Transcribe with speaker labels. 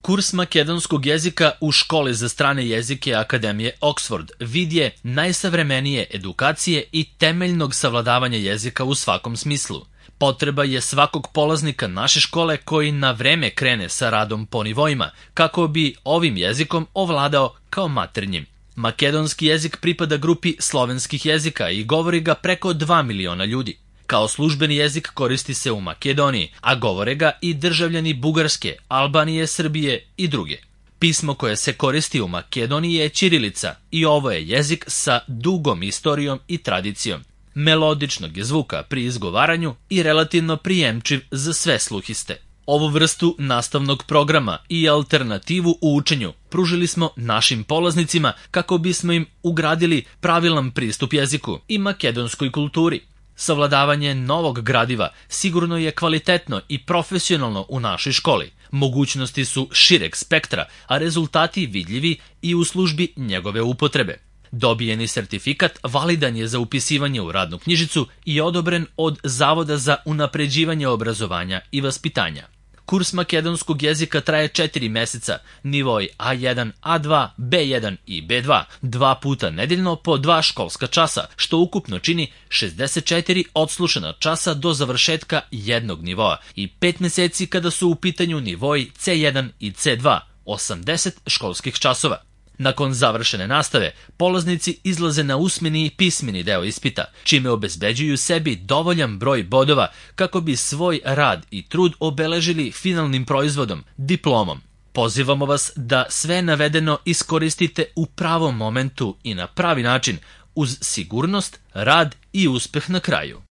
Speaker 1: Kurs makedonskog jezika u Školi za strane jezike Akademije Oxford vid je najsavremenije edukacije i temeljnog savladavanja jezika u svakom smislu. Potreba je svakog polaznika naše škole koji na vreme krene sa radom po nivoima, kako bi ovim jezikom ovladao kao maternjim. Makedonski jezik pripada grupi slovenskih jezika i govori ga preko 2 miliona ljudi. Kao službeni jezik koristi se u Makedoniji, a govore ga i državljani Bugarske, Albanije, Srbije i druge. Pismo koje se koristi u Makedoniji je ćirilica i ovo je jezik sa dugom istorijom i tradicijom. Melodičnog je zvuka pri izgovaranju i relativno prijemčiv za sve sluhiste. Ovu vrstu nastavnog programa i alternativu u učenju pružili smo našim polaznicima kako bismo im ugradili pravilan pristup jeziku i makedonskoj kulturi. Savladavanje novog gradiva sigurno je kvalitetno i profesionalno u našoj školi. Mogućnosti su šireg spektra, a rezultati vidljivi i u službi njegove upotrebe. Dobijeni sertifikat validan je za upisivanje u radnu knjižicu i odobren od Zavoda za unapređivanje obrazovanja i vaspitanja. Kurs makedonskog jezika traje 4 meseca, nivoi A1, A2, B1 i B2, 2 puta nedeljno po 2 školska časa, što ukupno čini 64 odslušana časa do završetka jednog nivoa i 5 meseci kada su u pitanju nivoi C1 i C2, 80 školskih časova. Nakon završene nastave, polaznici izlaze na usmeni i pismeni deo ispita, čime obezbeđuju sebi dovoljan broj bodova kako bi svoj rad i trud obeležili finalnim proizvodom, diplomom. Pozivamo vas da sve navedeno iskoristite u pravom momentu i na pravi način, uz sigurnost, rad i uspeh na kraju.